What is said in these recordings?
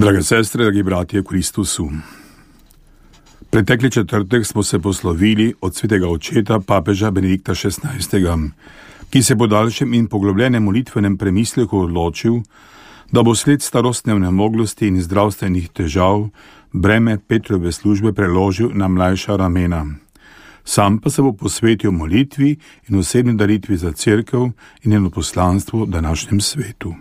Drage sestre, dragi bratje v Kristusu. Pretekli četrtek smo se poslovili od svetega očeta papeža Benedikta XVI, ki se po daljšem in poglobljenem molitvenem premisleku odločil, da bo sled starostne onemoglosti in zdravstvenih težav breme Petrove službe preložil na mlajša ramena. Sam pa se bo posvetil molitvi in osebni daritvi za cerkev in njeno poslanstvo v današnjem svetu.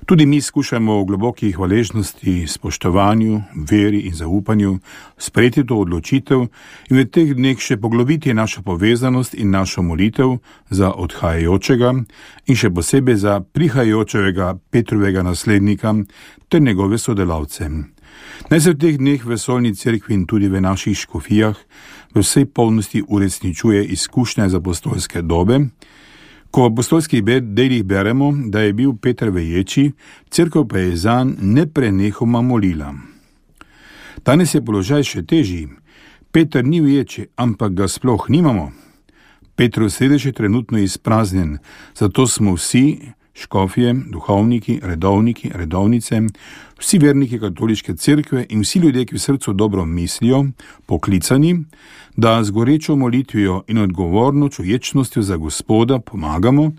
Tudi mi skušamo v globoki hvaležnosti, spoštovanju, veri in zaupanju sprejeti to odločitev in v teh dneh še poglobiti našo povezanost in našo molitev za odhajajočega in še posebej za prihajajočega Petrovega naslednika ter njegove sodelavce. Naj se v teh dneh v vesoljni cerkvi in tudi v naših škofijah v vsej polnosti uresničuje izkušnja iz apostolske dobe. Ko v apostolskih delih beremo, da je bil Peter v ječi, cerkev pa je zanj neprenehoma molila. Danes je položaj še težji. Peter ni v ječi, ampak ga sploh nimamo. Petrov sedež je trenutno izpraznjen, zato smo vsi, škofje, duhovniki, redovniki, redovnice, vsi verniki katoliške cerkve in vsi ljudje, ki v srcu dobro mislijo, poklicani, da z gorečo molitvijo in odgovorno čuječnostjo za Gospoda pomagamo,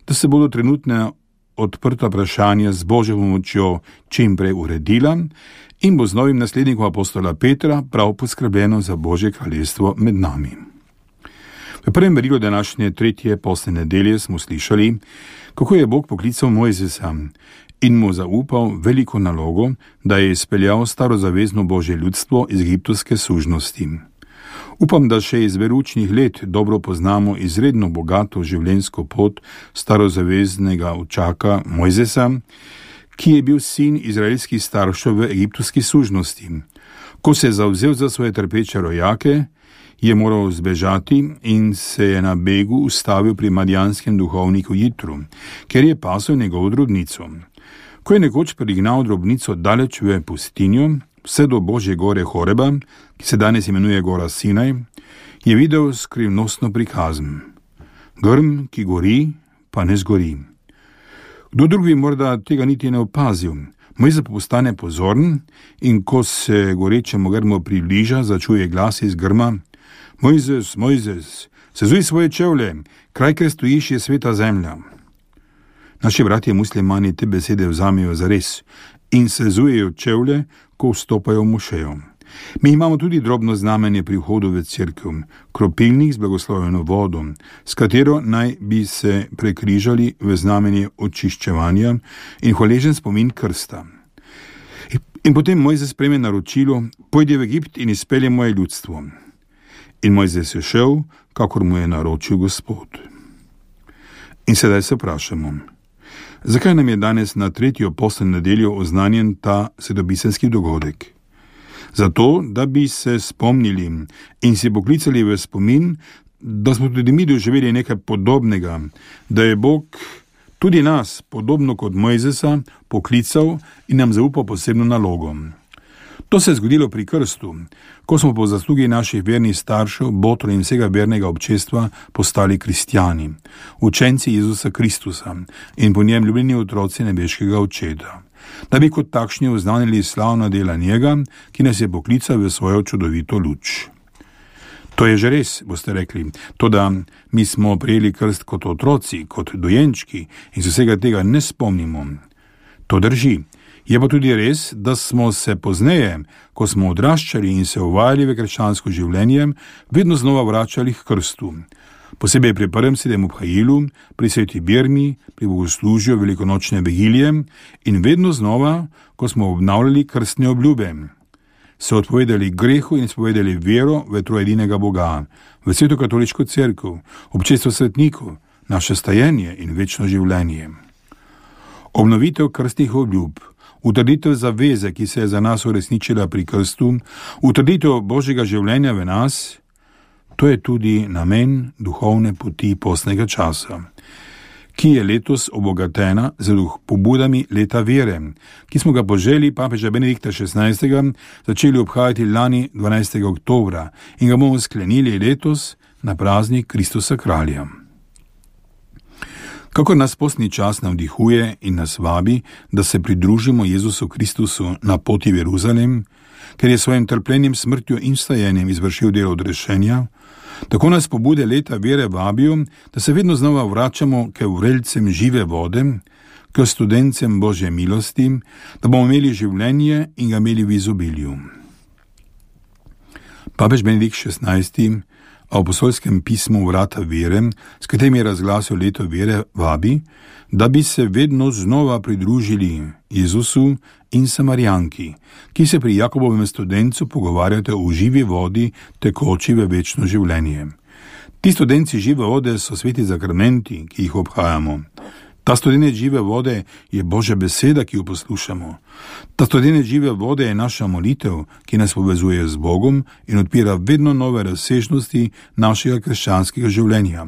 da se bodo trenutne odprta vprašanja z Božjo pomočjo čim prej uredila in bo z novim naslednikom apostola Petra prav poskrbljeno za Božje kraljestvo med nami. V prvem berilu današnje tretje postne nedelje smo slišali, kako je Bog poklical Mojzesa in mu zaupal veliko nalogo, da je izpeljal starozavezno Božje ljudstvo iz egiptovske sužnosti. Upam, da še iz veručnih let dobro poznamo izredno bogato življenjsko pot starozaveznega očaka Mojzesa, ki je bil sin izraelskih staršev v egiptovski sužnosti. Ko se je zavzel za svoje trpeče rojake, je moral zbežati in se je na begu ustavil pri madijanskem duhovniku Jitru, ker je pasel njegovo drobnico. Ko je nekoč prignal drobnico daleč v pustinjo, vse do Božje gore Horeba, ki se danes imenuje gora Sinaj, je videl skrivnostno prikazm. Grm, ki gori, pa ne zgori. Kdo drugi morda tega niti ne opazil. Mojzes postane pozoren in ko se gorečemu grmu približa, začuje glas iz grma: Mojzes, Mojzes, sezuj svoje čevlje, kraj, kjer stojiš, je sveta zemlja. Naši bratje muslimani te besede vzamejo zares in sezujejo čevlje, ko vstopajo v mošejo. Mi imamo tudi drobno znamenje pri vhodu v cerkev, kropilnik z blagoslovljeno vodo, s katero naj bi se prekrižali v znamenje očiščevanja in hvaležen spomin krsta. In potem Mojzes prejme naročilo: pojdi v Egipt in izpelje moje ljudstvo. In Mojzes je šel, kakor mu je naročil Gospod. In sedaj se vprašamo, zakaj nam je danes na tretjo postno nedeljo oznanjen ta svetopisemski dogodek? Zato, da bi se spomnili in si poklicali v spomin, da smo tudi mi doživeli nekaj podobnega, da je Bog tudi nas, podobno kot Mojzesa, poklical in nam zaupal posebno nalogo. To se je zgodilo pri krstu, ko smo po zaslugi naših vernih staršev, botrov in vsega vernega občestva postali kristjani, učenci Jezusa Kristusa in po njem ljubljeni otroci nebeškega Očeta, da bi kot takšni oznanili slavna dela njega, ki nas je poklical v svojo čudovito luč. To je že res, boste rekli, toda mi smo prejeli krst kot otroci, kot dojenčki in se vsega tega ne spomnimo. To drži. Je pa tudi res, da smo se pozneje, ko smo odraščali in se uvajali v krščansko življenje, vedno znova vračali k krstu. Posebej pri prvem sedem obhajilu, pri sveti Birmi, pri bogoslužju velikonočne vigilije in vedno znova, ko smo obnavljali krstne obljube. Se odpovedali grehu in spovedali vero v trojedinega Boga, v sveto katoliško cerkev, občestvo svetnikov, naše stajenje in večno življenje. Obnovitev krstnih obljub, utrditev zaveze, ki se je za nas uresničila pri krstu, utrditev Božjega življenja v nas, to je tudi namen duhovne poti postnega časa, ki je letos obogatena z pobudami leta vere, ki smo ga po želji papeža Benedikta XVI začeli obhajati lani 12. oktobra in ga bomo sklenili letos na praznik Kristusa Kralja. Kako nas postni čas navdihuje in nas vabi, da se pridružimo Jezusu Kristusu na poti v Jeruzalem, ker je svojim trpljenjem, smrtjo in vstajenjem izvršil delo odrešenja, tako nas pobude leta vere vabijo, da se vedno znova vračamo k vrelcem žive vode, k studencem Božje milosti, da bomo imeli življenje in ga imeli v izobilju. Papež Benedikt XVI v apostolskem pismu Vrata vere, s katerim je razglasil leto vere, vabi, da bi se vedno znova pridružili Jezusu in Samarijanki, ki se pri Jakobovem studencu pogovarjate o živi vodi, tekoči v večno življenje. Ti studenci žive vode so sveti zakramenti, ki jih obhajamo. Ta studenec žive vode je Božja beseda, ki jo poslušamo. Ta studenec žive vode je naša molitev, ki nas povezuje z Bogom in odpira vedno nove razsežnosti našega krščanskega življenja.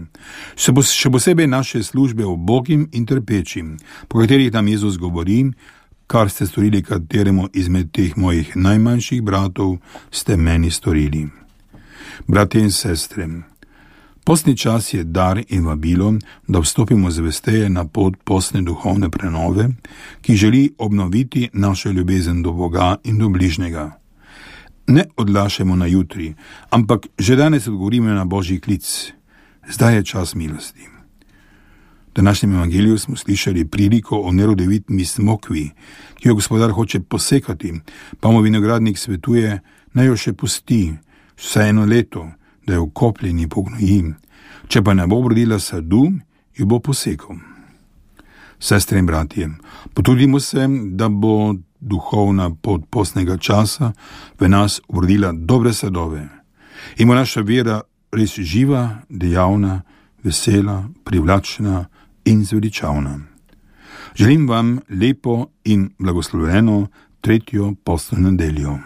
Še posebej naše službe ubogim in trpečim, po katerih nam Jezus govori: kar ste storili kateremu izmed teh mojih najmanjših bratov, ste meni storili. Bratje in sestre, postni čas je dar in vabilo, da vstopimo zvesteje na pot postne duhovne prenove, ki želi obnoviti našo ljubezen do Boga in do bližnjega. Ne odlašajmo na jutri, ampak že danes odgovorimo na Božji klic. Zdaj je čas milosti. V današnjem evangeliju smo slišali priliko o nerodovitni smokvi, ki jo gospodar hoče posekati, pa mu vinogradnik svetuje, naj jo še pusti vsaj 1 leto, da jo vkopljen in pognoji. Če pa ne bo obrodila sadu, jo bo posekal. Sestre in bratje, potrudimo se, da bo duhovna pot postnega časa v nas obrodila dobre sadove in bo naša vera res živa, dejavna, vesela, privlačna in zveličavna. Želim vam lepo in blagoslovljeno 3. postno nedeljo.